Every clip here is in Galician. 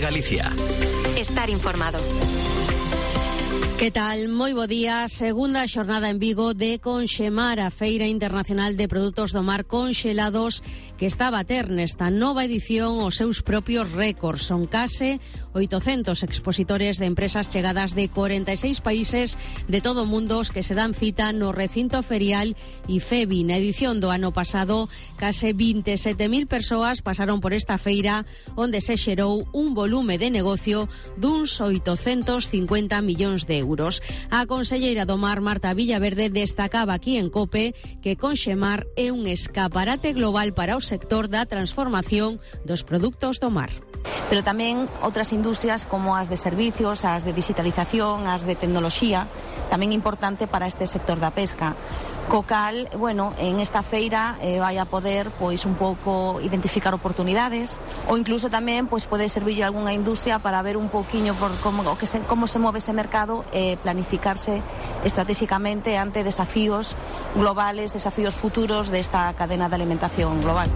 Galicia. Estar informado. Que tal? Moi bo día. Segunda xornada en Vigo de Conxemar, a Feira Internacional de Produtos do Mar Conxelados, que está a bater nesta nova edición os seus propios récords. Son case 800 expositores de empresas chegadas de 46 países de todo o mundo os que se dan cita no recinto ferial IFEBI. Na edición do ano pasado, case 27.000 persoas pasaron por esta feira, onde se xerou un volume de negocio duns 850 millóns de euros. A conselleira do Mar, Marta Villaverde, destacaba aquí en COPE que Conxemar é un escaparate global para o sector da transformación dos produtos do mar. Pero tamén outras industrias como as de servicios, as de digitalización, as de tecnoloxía, tamén importante para este sector da pesca. Co cal, en esta feira vai a poder un pouco identificar oportunidades, ou incluso tamén pode servir algunha industria para ver un pouquiño por como se move ese mercado e planificarse estratégicamente ante desafíos globales, desafíos futuros desta cadena de alimentación global.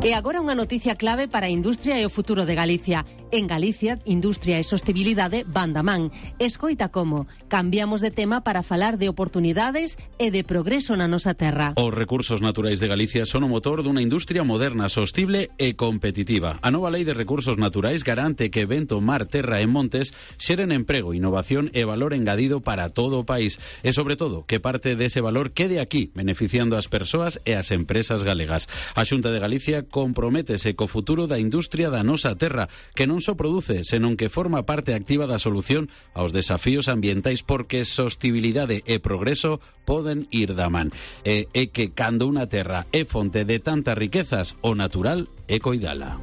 E agora unha noticia clave para a industria e o futuro de Galicia. En Galicia, industria e sostibilidade van da man. Escoita como cambiamos de tema para falar de oportunidades e de progreso na nosa terra. Os recursos naturais de Galicia son o motor dunha industria moderna, sostible e competitiva. A nova Lei de Recursos Naturais garante que vento, mar, terra e montes xeren emprego, innovación e valor engadido para todo o país. E, sobre todo, que parte dese valor quede aquí, beneficiando as persoas e as empresas galegas. A Xunta de Galicia comprométese co futuro da industria da nosa terra, que non só produce, senón que forma parte activa da solución aos desafíos ambientais, porque sostibilidade e progreso poden ir da man. E que cando unha terra é fonte de tantas riquezas, o natural é coidala.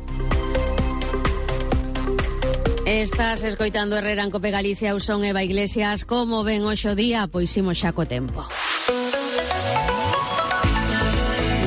Estás escoitando Herrera en Cope Galicia, eu son Eva Iglesias. Como ven hoxe o día? Pois imos xa co tempo.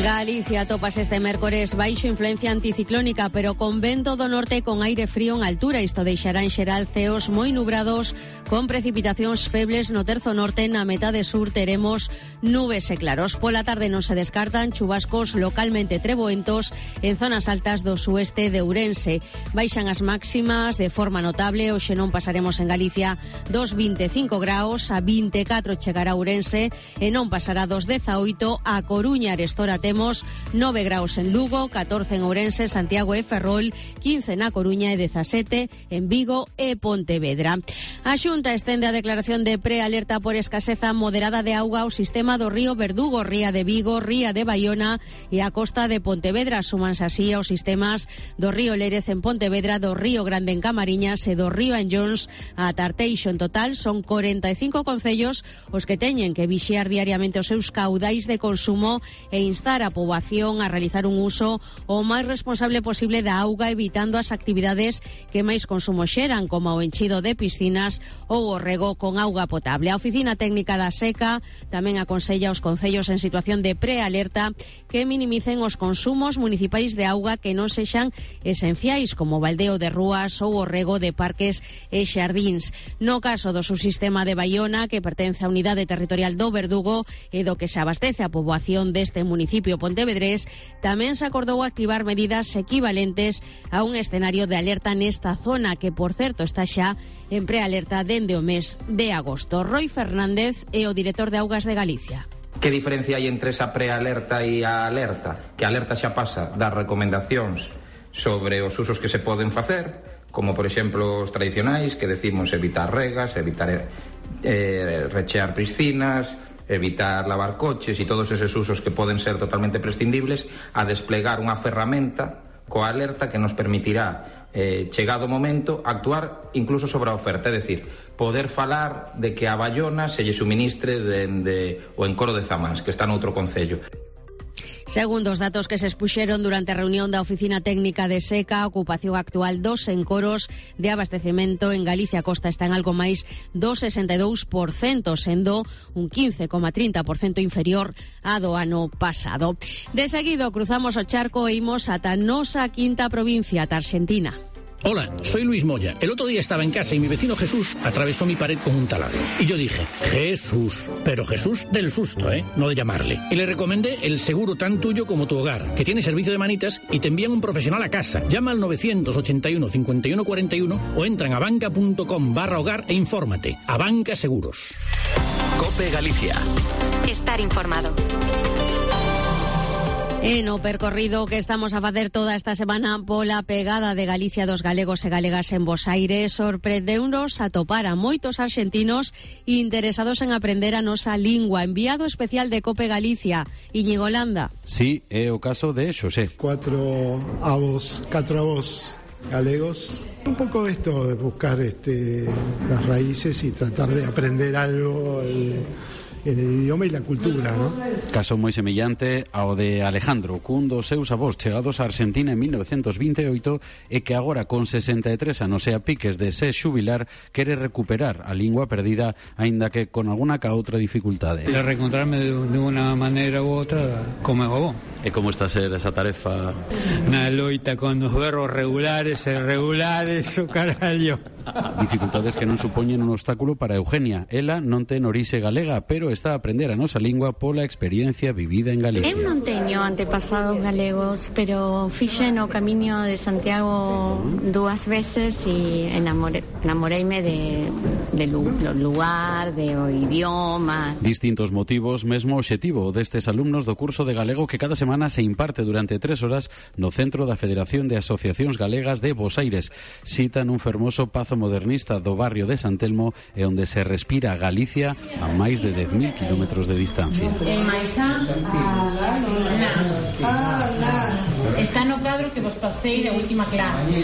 Galicia topas este mércores baixo influencia anticiclónica, pero con vento do norte con aire frío en altura. Isto deixará en xeral ceos moi nubrados con precipitacións febles no terzo norte. Na metade sur teremos nubes e claros. Pola tarde non se descartan chubascos localmente treboentos en zonas altas do sueste de Ourense. Baixan as máximas de forma notable. Hoxe non pasaremos en Galicia dos 25 graus, a 24 chegará Ourense e non pasará dos 18 a Coruña. Arestora temos 9 graus en Lugo, 14 en Ourense, Santiago e Ferrol, 15 na Coruña e 17 en Vigo e Pontevedra. A Xunta estende a declaración de prealerta por escaseza moderada de auga ao sistema do río Verdugo, Ría de Vigo, Ría de Baiona e a costa de Pontevedra. Súmanse así aos sistemas do río Lérez en Pontevedra, do río Grande en Camariñas e do río Anllóns a Tarteixo. En total son 45 concellos os que teñen que vixiar diariamente os seus caudais de consumo e instar a poboación a realizar un uso o máis responsable posible da auga, evitando as actividades que máis consumo xeran, como o enchido de piscinas ou o rego con auga potable. A Oficina Técnica da Seca tamén aconsella aos concellos en situación de prealerta que minimicen os consumos municipais de auga que non sexan esenciais, como o baldeo de rúas ou o rego de parques e xardíns. No caso do subsistema de Baiona, que pertence á unidade territorial do Verdugo e do que se abastece a poboación deste municipio pontevedrés, tamén se acordou activar medidas equivalentes a un escenario de alerta nesta zona, que, por certo, está xa en prealerta dende o mes de agosto. Roy Fernández é o director de Augas de Galicia. Que diferencia hai entre esa prealerta e a alerta? Que a alerta xa pasa das recomendacións sobre os usos que se poden facer, como, por exemplo, os tradicionais, que decimos evitar regas, evitar rechear piscinas, evitar lavar coches e todos eses usos que poden ser totalmente prescindibles, a desplegar unha ferramenta coa alerta que nos permitirá, chegado o momento, actuar incluso sobre a oferta, é dicir, poder falar de que a Baiona se lle suministre dende o encoro de Zamás, que está noutro concello. Segundo os datos que se expuxeron durante a reunión da Oficina Técnica de Seca, a ocupación actual dos encoros de abastecemento en Galicia Costa está en algo máis do 62%, sendo un 15,30% inferior a do ano pasado. De seguido cruzamos o charco e imos ata nosa quinta provincia, ata Argentina. Hola, soy Luis Moya. El otro día estaba en casa y mi vecino Jesús atravesó mi pared con un taladro. Y yo dije, Jesús, pero Jesús del susto, no de llamarle. Y le recomendé el seguro tan tuyo como tu hogar, que tiene servicio de manitas y te envían un profesional a casa. Llama al 981 51 41 o entra en abanca.com/hogar e infórmate. Abanca Seguros. COPE Galicia. Estar informado. En o percorrido que estamos a facer toda esta semana pola pegada de Galicia dos galegos e galegas en Bos Aires, sorprendeunos a topar a moitos arxentinos interesados en aprender a nosa lingua. Enviado especial de COPE Galicia, Íñigo Landa. Sí, é o caso de Xosé. Cuatro avós galegos. Un poco esto de buscar las raíces y tratar de aprender algo en el idioma y la cultura, ¿no? Caso moi semellante ao de Alejandro, cun dos seus avós chegados a Argentina en 1928 e que agora con 63 anos e a piques de se xubilar quere recuperar a lingua perdida, aínda que con alguna ca outra dificultade. De reencontrarme de unha maneira u outra como é o bon. E como está a ser esa tarefa? Na loita con os verbos regulares e irregulares, o carallo. Dificultades que non supoñen un obstáculo para Eugenia. Ela non ten orixe galega, pero está a aprender a nosa lingua pola experiencia vivida en Galicia. Eu non teño antepasados galegos, pero fixen o camiño de Santiago dúas veces e enamoreime do lugar, do idioma. Distintos motivos, mesmo obxectivo destes alumnos do curso de galego que cada semana se imparte durante 3 horas no Centro da Federación de Asociacións Galegas de Bos Aires. Citan un fermoso pazo modernista do barrio de San Telmo e onde se respira Galicia a máis de 10.000 kilómetros de distancia. Está no cadro que vos pasei da última clase.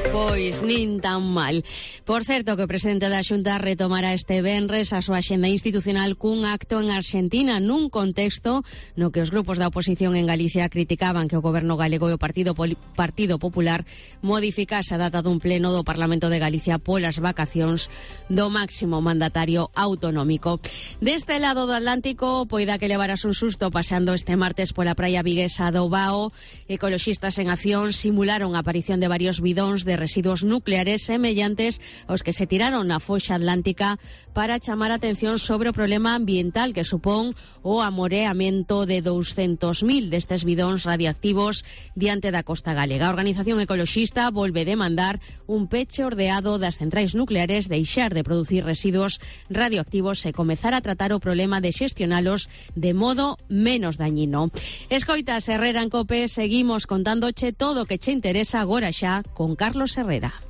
Pois nin tan mal. Por certo, que o presidente da Xunta retomará este venres a súa axenda institucional cun acto en Argentina nun contexto no que os grupos da oposición en Galicia criticaban que o goberno galego e o Partido Popular modificase a data dun pleno do Parlamento de Galicia polas vacacións do máximo mandatario autonómico. Deste lado do Atlántico, poida que levaras un susto paseando este martes pola praia viguesa do Bao, ecoloxistas en acción simularon a aparición de varios bidóns de residuos nucleares semellantes aos que se tiraron na foxa atlántica para chamar a atención sobre o problema ambiental que supón o amoreamento de 200.000 destes bidóns radioactivos diante da costa galega. A organización ecoloxista volve demandar un peche ordeado das centrais nucleares, deixar de producir residuos radioactivos e comezar a tratar o problema de xestionalos de modo menos dañino. Escoitas Herrera en COPE, seguimos contándoche todo o que che interesa agora xa con Carlos Herrera.